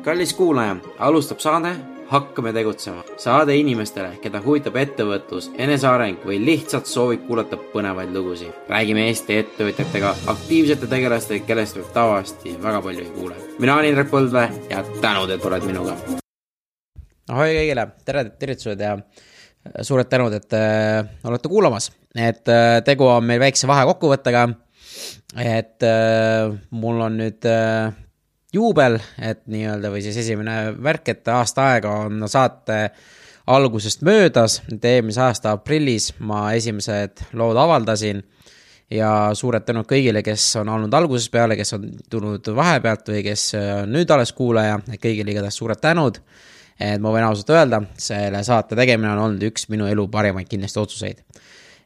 Kallis kuulaja, alustab saade Hakkame tegutsema. Saade inimestele, keda huvitab ettevõtlus, eneseareng või lihtsalt soovib kuulata põnevaid lugusid. Räägime Eesti ettevõtjatega, aktiivsete tegelastega, kellest võib tavaliselt väga palju ei kuule. Mina olen Indrek Põldvee ja tänud, et oled minuga. Ahoi kõigile, tervitused ja suured tänud, et olete kuulamas. Tegu on meil väikse vahekokkuvõttega, et mul on nüüd juubel, et nii-öelda või siis esimene värk, et aasta aega on saate algusest möödas, et eelmise aasta aprillis ma esimesed lood avaldasin ja suured tänud kõigile, kes on olnud algusest peale, kes on tulnud vahepealt või kes nüüd alles kuulaja, kõigile igatahes suured tänud, et ma võin ausalt öelda, selle saate tegemine on olnud üks minu elu parimaid kindlasti otsuseid.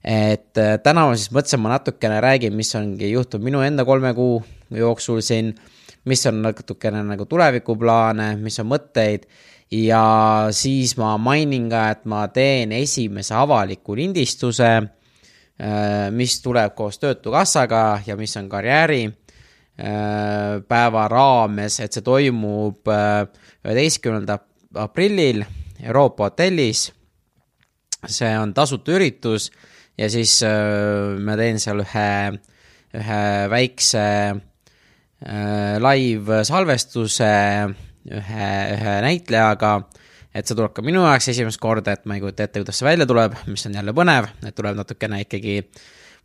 Et täna ma siis mõtlesin, ma natukene räägin, mis ongi juhtunud minu enda 3 kuu jooksul siin, mis on natukene nagu tulevikuplaane, mis on mõtteid ja siis ma mainin ka, et ma teen esimese avaliku lindistuse, mis tuleb koos Töötukassaga ja mis on karjääri päeva raames, et see toimub 11. aprillil Euroopa hotellis. See on tasuta üritus ja siis ma teen seal ühe väikse live salvestuse ühe näitlejaga, et see tuleb ka minu jaoks esimest korda, et ma ei kujuta ette, kuidas see välja tuleb, mis on jälle põnev, et tuleb natukene ikkagi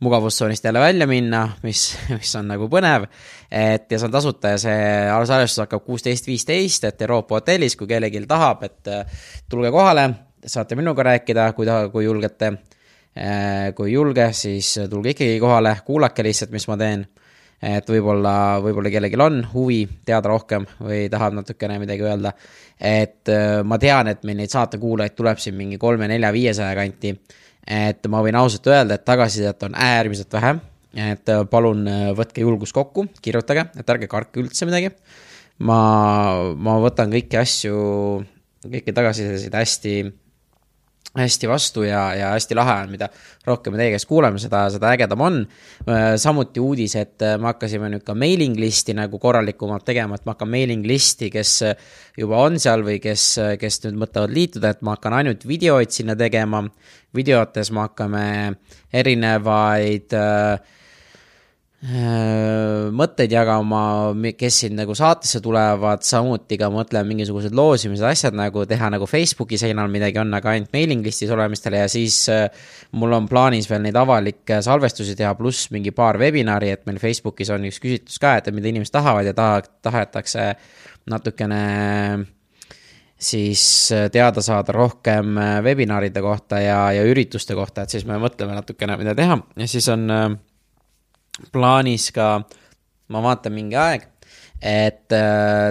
mugavustsoonist jälle välja minna, mis on nagu põnev, et ja see on tasuta ja see salvestus hakkab 16.15, et Euroopa hotellis, kui kellelgi tahab, et tulge kohale, saate minuga rääkida, kui julgete, kui julge, siis tulge ikkagi kohale, kuulake lihtsalt, mis ma teen, et võib-olla kellelgi on huvi teada rohkem või tahab natukene midagi öelda, et ma tean, et meil neid saatekuulajaid tuleb siin mingi 3, 4, 500 kanti, et ma võin ausalt öelda, et tagasisidet on äärmiselt vähe, et palun võtke julgus kokku, kirjutage, et ärge karke üldse midagi, ma võtan kõiki tagasisidesid hästi vastu ja hästi lahe on, mida rohkem teie käest kuuleme, seda ägedam on. Samuti uudis, et me hakkasime nüüd ka mailing listi nagu korralikumalt tegema, et ma hakkan mailing listi, kes juba on seal või kes nüüd mõtlevad liituda, et ma hakkan ainult videoid sinna tegema. Videotes me hakkame erinevaid mõtteid jagama, kes siin nagu saatesse tulevad, samuti ka mõtlen mingisugused loosimised asjad nagu teha nagu Facebooki seinal midagi on, aga ainult mailing listis olemistele ja siis mul on plaanis veel neid avalikke salvestusi teha pluss mingi paar webinari, et meil Facebookis on üks küsitlus ka, et mida inimesed tahavad ja tahetakse natukene siis teada saada rohkem webinaride kohta ja ürituste kohta, et siis me mõtleme natukene mida teha ja siis on plaanis ka, ma vaatan mingi aeg, et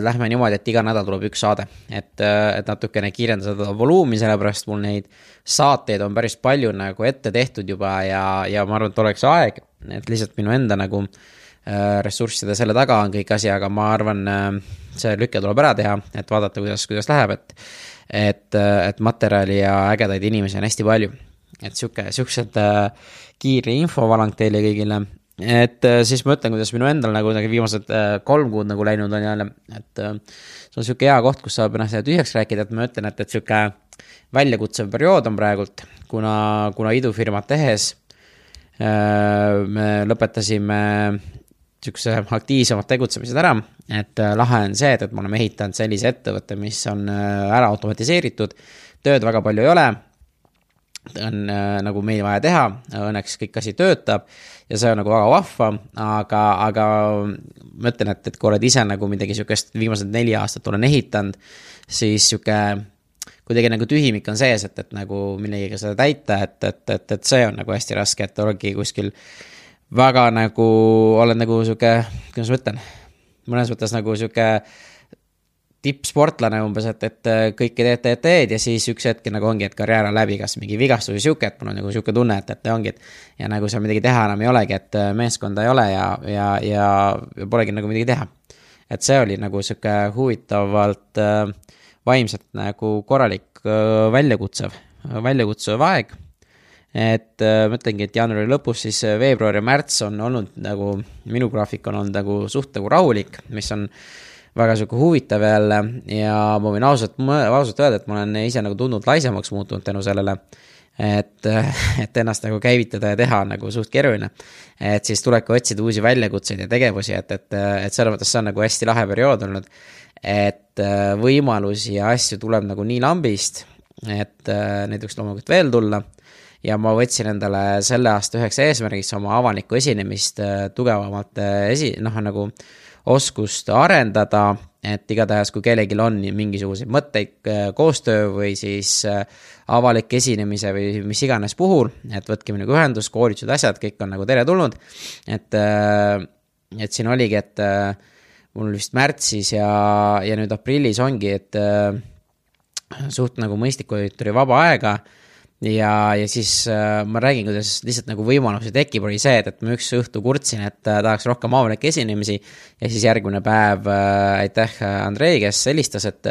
lähme niimoodi, et iga nädal tuleb üks saade, et natukene kiirenda seda voluumi, sellepärast mul neid saateid on päris palju nagu ette tehtud juba ja ma arvan, et oleks aeg, et lihtsalt minu enda nagu ressursside selle taga on kõik asi, aga ma arvan, see lükke tuleb ära teha, et vaadata, kuidas läheb, et materjali ja ägedaid inimesi on hästi palju, et siuksed kiire infovalang teile kõigile. Et siis ma ütlen, kuidas minu endal nagu viimased 3 kuud nagu läinud on jälle, et see on siuke hea koht, kus saab ennast tühjaks rääkida, et ma ütlen, et siuke väljakutsev periood on praegult, kuna idufirmat tehes me lõpetasime siukse aktiivsemad tegutsemised ära, et lahe on see, et me oleme ehitanud sellise ettevõtte, mis on ära automatiseeritud, tööd väga palju ei ole, on nagu meil vaja teha, õnneks kõik asi töötab ja see on nagu väga vahva, aga ma ütlen, et kui oled ise nagu midagi siukest viimased 4 aastat olen ehitanud, siis siuke kuidagi nagu tühimik on sees, et nagu millegiga seda täita, et see on nagu hästi raske, et olengi kuskil väga nagu, olen nagu siuke, kuidas ma ütlen, mõnes mõttes nagu siuke tippsportlane umbes, et kõike teed ja siis üks hetk nagu ongi, et karjäär on läbi, kas mingi vigastus või siuke, et mul on nagu siuke tunne, et ongi, ja nagu seal midagi teha enam ei olegi, et meeskonda ei ole ja polegi nagu midagi teha. Et see oli nagu siuke huvitavalt vaimselt nagu korralik väljakutsev aeg, et mõtlengi, et jaanuari lõpus siis veebruar ja märts on olnud nagu, minu graafik on olnud nagu suht nagu rahulik, mis on väga siuke huvitav jälle ja ma võin ausalt öelda, et ma olen ise nagu tundnud laisemaks muutunud tänu sellele, et ennast nagu käivitada ja teha nagu suht keeruline. Et siis tulebki otsida uusi väljakutseid ja tegevusi, et selles mõttes see on nagu hästi lahe periood olnud, et võimalusi ja asju tuleb nagu nii lambist, et neid võiks loomulikult veel tulla. Ja ma võtsin endale selle aasta üheks eesmärgiks oma avalikku esinemist tugevamalt nagu oskust arendada, et igatahes kui kellelgi on mingisuguseid mõtteid koostöö või siis avalik esinemise või mis iganes puhul, et võtke minuga ühendus, koolitused, asjad, kõik on nagu tere tulnud, et siin oligi, et mul vist märtsis ja nüüd aprillis ongi, et suht nagu mõistlik oli vaba aega, ja siis ma räägin, kuidas lihtsalt nagu võimalusi tekib, oli see, et ma üks õhtu kurtsin, et tahaks rohkem avalikke esinemisi ja siis järgmine päev aitäh Andrei, kes helistas, et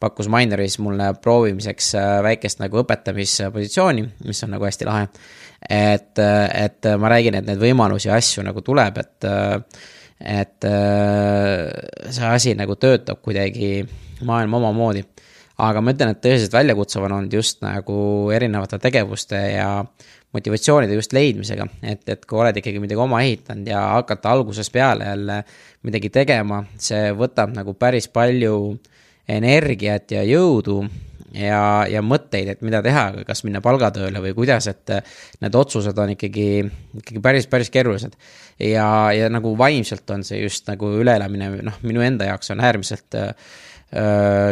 pakkus Mineris mulle proovimiseks väikest nagu õpetamispositsiooni, mis on nagu hästi lahe, et ma räägin, et need võimalusi ja asju nagu tuleb, et see asi nagu töötab kuidagi maailma omamoodi. Aga ma ütlen, et tõeliselt väljakutsuv on olnud just nagu erinevate tegevuste ja motivatsioonide just leidmisega, et kui oled ikkagi midagi oma ehitanud ja hakata algusest peale jälle midagi tegema, see võtab nagu päris palju energiat ja jõudu ja mõtteid, et mida teha, kas minna palgatööle või kuidas, et need otsused on ikkagi päris keerulised ja nagu vaimselt on see just nagu üleelamine, minu enda jaoks on äärmiselt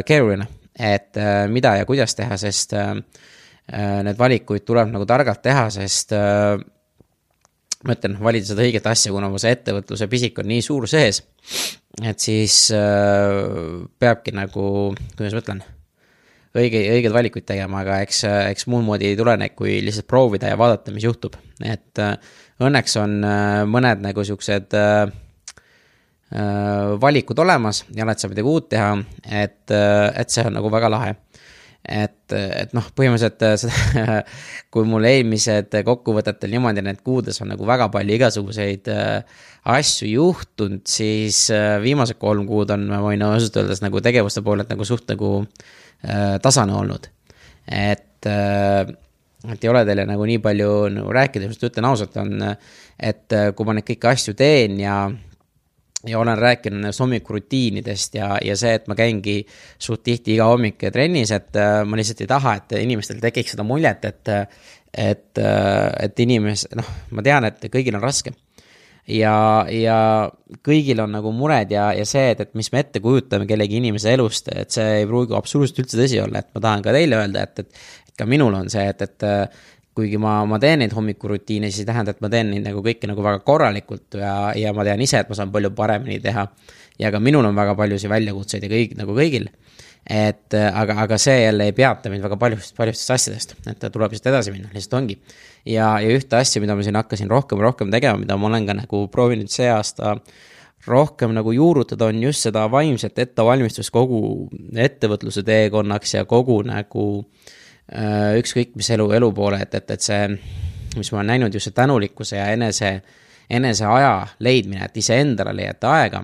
keeruline, et mida ja kuidas teha, sest need valikuid tuleb nagu targalt teha, sest ma ütlen, valida seda õiget asja, kuna see ettevõtluse pisik on nii suur sees, et siis peabki nagu, kuidas ma ütlen, õiged valikuid tegema, aga eks muud moodi ei tule neid, kui lihtsalt proovida ja vaadata, mis juhtub, et õnneks on mõned nagu siuksed valikud olemas ja oled sa midagi uut teha, et see on nagu väga lahe. Et põhimõtteliselt seda, kui mul eelmised kokkuvõtetel niimoodi need kuudes on nagu väga palju igasuguseid asju juhtunud, siis viimased 3 kuud on, ma võin ausalt öeldes nagu tegevuste poolelt nagu suht nagu tasane olnud. Et ei ole teile nagu nii palju nagu rääkida, just ütlen ausalt on, et kui ma neid kõiki asju teen ja olen rääkinud hommikurutiinidest ja see, et ma käingi suht tihti iga hommik trennis, et ma lihtsalt ei taha, et inimestel tekiks seda muljet, et inimesed, ma tean, et kõigil on raske ja kõigil on nagu mured ja see, et mis me ette kujutame kellegi inimese elust, et see ei pruugi absoluutselt üldse tõsi olla, et ma tahan ka teile öelda, et ka minul on see, et kuigi ma teen neid hommikurutiine, siis ei tähenda, et ma teen neid nagu kõike nagu väga korralikult ja ma tean ise, et ma saan palju paremini teha ja ka minul on väga paljusi väljakutseid ja kõik nagu kõigil, et aga see jälle ei peata mind väga paljustest asjadest, et tuleb lihtsalt edasi minna, lihtsalt ongi ja ühte asja, mida ma siin hakkasin rohkem tegema, mida ma olen ka nagu proovinud see aasta rohkem nagu juurutada, on just seda vaimset ettevalmistust kogu ettevõtluse teekonnaks ja kogu nagu ükskõik mis elu poole, et see, mis ma olen näinud, just see tänulikkuse ja enese aja leidmine, et ise endale leiate aega,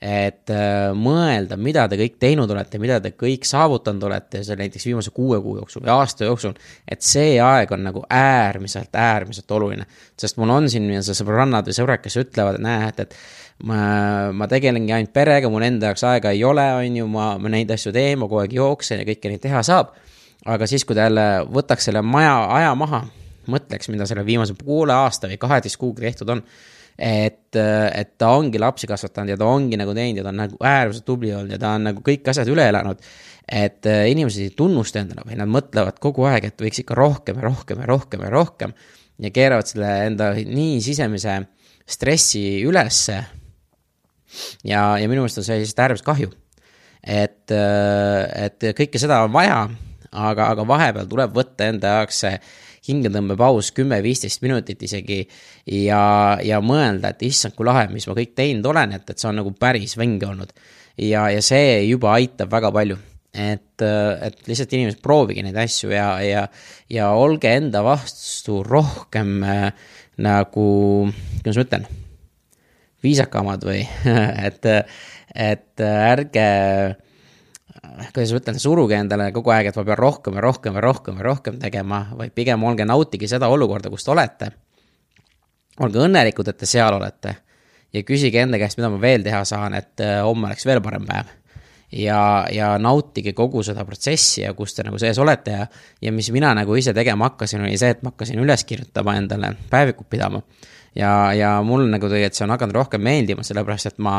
et mõelda, mida te kõik teinud olete, mida te kõik saavutanud olete, see näiteks viimase 6 kuu jooksul või aasta jooksul, et see aeg on nagu äärmiselt oluline, sest mul on siin sõbrannad või sõbrad, kes ütlevad, et ma tegelengi ainult perega, mul enda jaoks aega ei ole, on ju, ma neid asju teen, ma kogu aeg jooksen ja kõike neid teha saab. Aga siis, kui ta jälle võtaks selle aja maha, mõtleks, mida selle viimase poole aasta või 12 kuuga tehtud on, et ta ongi lapsi kasvatanud ja ta ongi nagu teinud ja ta on nagu äärmiselt tubli olnud ja ta on nagu kõik asjad üle elanud, et inimesed ei tunnusta endale või nad mõtlevad kogu aeg, et võiks ikka rohkem ja keeravad selle enda nii sisemise stressi ülesse ja minu meelest on see lihtsalt äärmiselt kahju, et kõike seda on vaja, aga vahepeal tuleb võtta enda jaoks see hingetõmbepaus 10-15 minutit isegi ja mõelda, et issand, kui lahe, mis ma kõik teinud olen, et see on nagu päris vänge olnud ja see juba aitab väga palju, et lihtsalt inimesed proovige neid asju ja olge enda vastu rohkem nagu, kuidas ma ütlen, viisakamad või et ärge, kuidas ma ütlen, suruge endale kogu aeg, et ma pean rohkem ja rohkem ja rohkem ja rohkem tegema, vaid pigem olge nautige seda olukorda, kus te olete. Olge õnnelikud, et te seal olete ja küsige enda käest, mida ma veel teha saan, et homme oleks veel parem päev. Ja nautige kogu seda protsessi ja kus te nagu sees olete ja mis mina nagu ise tegema hakkasin, oli see, et ma hakkasin üles kirjutama endale päevikut pidama. Ja mul nagu tegelikult see on hakanud rohkem meeldima, sellepärast et ma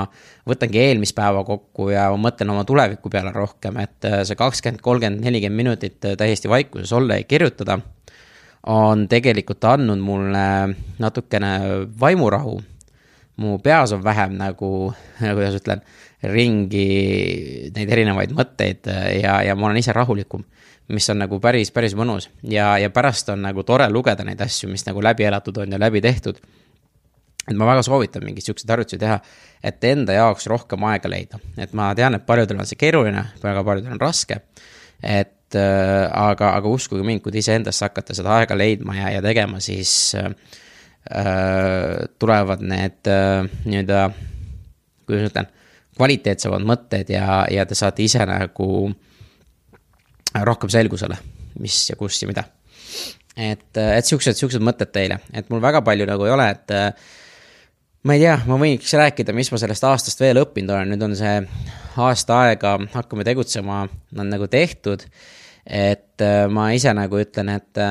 võtangi eelmist päeva kokku ja ma mõtlen oma tuleviku peale rohkem, et see 20, 30, 40 minutit täiesti vaikuses olla ja kirjutada on tegelikult andnud mulle natukene vaimurahu. Mu peas on vähem nagu, kuidas ütlen, ringi neid erinevaid mõtteid ja ma olen ise rahulikum, mis on nagu päris mõnus ja pärast on nagu tore lugeda neid asju, mis nagu läbi elatud on ja läbi tehtud. Et ma väga soovitan mingid siuksed harjutusi teha, et enda jaoks rohkem aega leida. Et ma tean, et paljudel on see keeruline, väga paljudel on raske, aga uskuge mind, kui te ise endasse hakkate seda aega leidma ja tegema, siis tulevad need nii-öelda, kuidas ütlen, kvaliteetsemad mõtted ja te saate ise nagu rohkem selgusele, mis ja kus ja mida. Et siuksed mõtted teile, et mul väga palju nagu ei ole, et ma ei tea, ma võiks rääkida, mis ma sellest aastast veel õppinud olen, nüüd on see aasta aega, hakkame tegutsema, on nagu tehtud, et ma ise nagu ütlen, et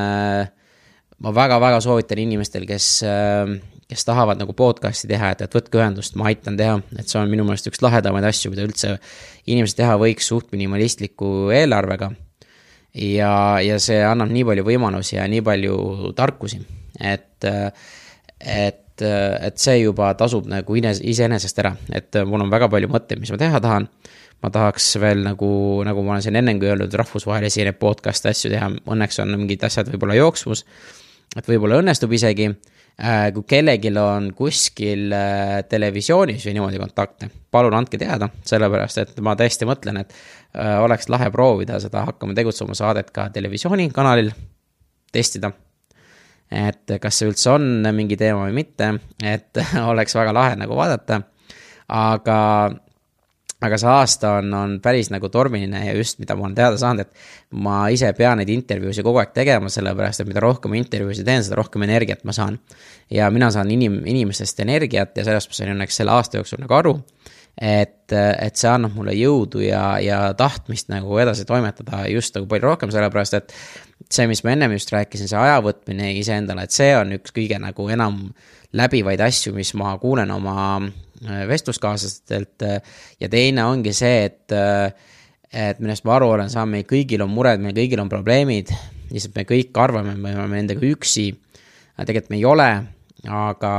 ma väga soovitan inimestel, kes tahavad nagu podcasti teha, et võtke ühendust, ma aitan teha, et see on minu meelest üks lahedamaid asju, mida üldse inimesed teha võiks suht minimalistliku eelarvega ja see annab nii palju võimalusi ja nii palju tarkusi, et see juba tasub nagu iseenesest ära, et mul on väga palju mõtteid, mis ma teha tahan. Ma tahaks veel nagu ma olen siin ennengi öelnud, rahvusvahelisi podcast asju teha, õnneks on mingid asjad võib-olla jooksmus, et võib-olla õnnestub isegi, kui kellegil on kuskil televisioonis või niimoodi kontakte, palun andke teada, sellepärast, et ma tõesti mõtlen, et oleks lahe proovida seda hakkama tegutsema saadet ka televisioonikanalil, testida, et kas see üldse on mingi teema või mitte, et oleks väga lahe nagu vaadata, aga see aasta on päris nagu tormiline ja just mida ma olen teada saanud, et ma ise pean neid intervjuusi kogu aeg tegema, sellepärast, et mida rohkem intervjuusi teen, seda rohkem energiat ma saan. Ja mina saan inimestest energiat ja sellest ma sain õnneks selle aasta jooksul nagu aru, et see annab mulle jõudu ja tahtmist nagu edasi toimetada just nagu palju rohkem, sellepärast, et see, mis ma ennem just rääkisin, see aja iseendale, et see on üks kõige nagu enam läbivaid asju, mis ma kuulen oma vestluskaaslastelt ja teine ongi see, et millest ma aru olen saanud, meil kõigil on mured, meil kõigil on probleemid, lihtsalt me kõik arvame, me oleme nendega üksi, tegelikult me ei ole, aga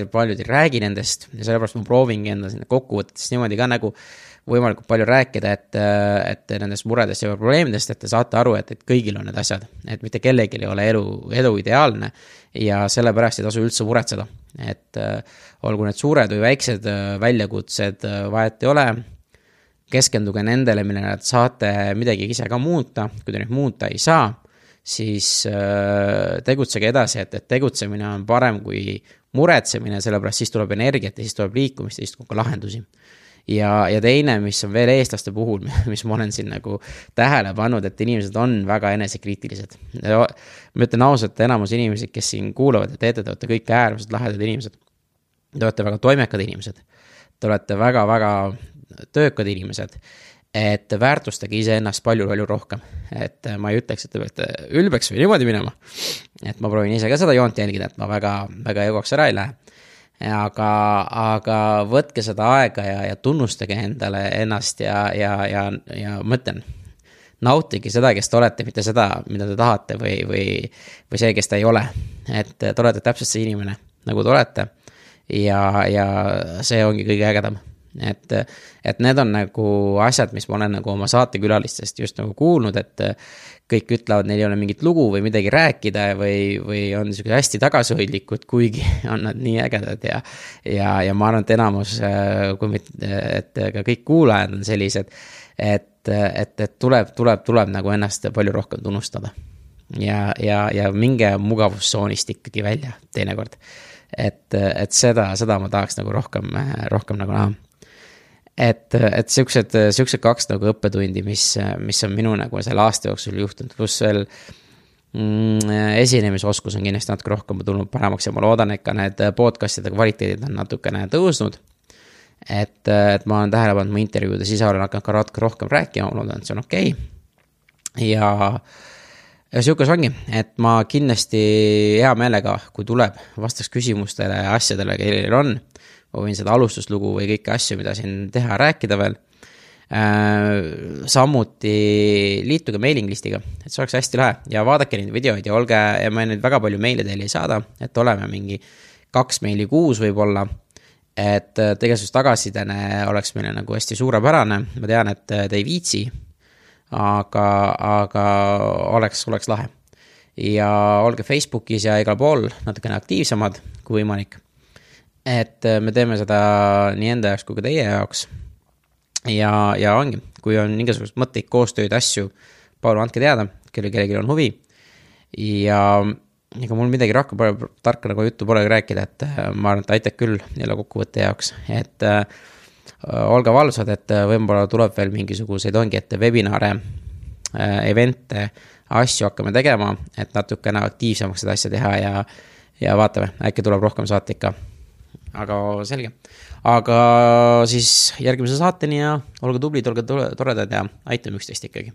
paljud ei räägi nendest ja sellepärast ma proovingi enda kokkuvõttes niimoodi ka nagu võimalikult palju rääkida, et nendest muredest ja probleemidest, et te saate aru, et kõigil on need asjad, et mitte kellelgi ei ole elu ideaalne ja sellepärast ei tasu üldse muretseda, et olgu need suured või väiksed väljakutsed, vahet ei ole, keskenduge nendele, millele saate midagi ise ka muuta, kui te nüüd muuta ei saa, siis tegutsege edasi, et tegutsemine on parem kui muretsemine, sellepärast siis tuleb energiat ja siis tuleb liikumist ja siis tuleb ka lahendusi. Ja teine, mis on veel eestlaste puhul, mis ma olen siin nagu tähele pannud, et inimesed on väga enesekriitilised. Ma ütlen ausalt, enamus inimesed, kes siin kuulavad ja te olete kõik äärmiselt lahedad inimesed. Te olete väga toimekad inimesed. Te olete väga töökad inimesed. Et väärtustage ise ennast palju rohkem. Et ma ei ütleks, et te peate ülbeks või niimoodi minema. Et ma proovin ise ka seda joont jälgida, et ma väga jõuaks ära ei lähe. Aga võtke seda aega ja tunnustage endale ennast ja mõtlen, nautige seda, kes te olete, mitte seda, mida te tahate või see, kes te ei ole. Et te olete täpselt see inimene, nagu te olete ja see ongi kõige ägedam. Et need on nagu asjad, mis ma olen nagu oma saatekülalistest just nagu kuulnud, et kõik ütlevad, neil ei ole mingit lugu või midagi rääkida või on hästi tagasihoidlikud, kuigi on nad nii ägedad ja ma arvan, et enamus, et ka kõik kuulajad on sellised, et tuleb nagu ennast palju rohkem tunnustada ja minge mugavustsoonist ikkagi välja teinekord. et seda ma tahaks nagu rohkem nagu näha. Et siuksed kaks nagu õppetundi, mis on minu nagu selle aasta jooksul juhtunud, pluss veel esinemisoskus on kindlasti natuke rohkem tulnud paremaks ja ma loodan, et ka need podcastide kvaliteedid on natukene tõusnud. Et ma olen tähele pannud mu intervjuudes, ise olen hakanud ka natuke rohkem rääkima, ma loodan, et see on okei. Ja siukas ongi, et ma kindlasti hea meelega, kui tuleb, vastaks küsimustele ja asjadele, kellel on. Ma võin seda alustuslugu või kõiki asju, mida siin teha, rääkida veel. Samuti liituge mailing listiga, et see oleks hästi lahe ja vaadake neid videoid ja olge, ja ma nüüd väga palju meile teile ei saada, et oleme mingi 2 meili kuus võib-olla, et tegelikult tagasidene oleks meile nagu hästi suurepärane, ma tean, et te ei viitsi, aga oleks lahe. Ja olge Facebookis ja igal pool natukene aktiivsemad kui võimalik. Et me teeme seda nii enda jaoks kui ka teie jaoks. Ja ongi, kui on mingisugust mõtteid, koostööd, asju, palun andke teada, kellelgi on huvi. Ja ega mul midagi rohkem tarka nagu juttu pole rääkida, et ma arvan, et aitab küll jälle kokkuvõtte jaoks. Et olge valvsad, et võib-olla tuleb veel mingisuguseid ongi, et webinare, evente, asju hakkame tegema, et natukene aktiivsemaks seda asja teha ja vaatame, äkki tuleb rohkem saate ikka. Aga selge. Aga siis järgmise saateni ja olge tublid, olge toredad ja aitame üksteist ikkagi.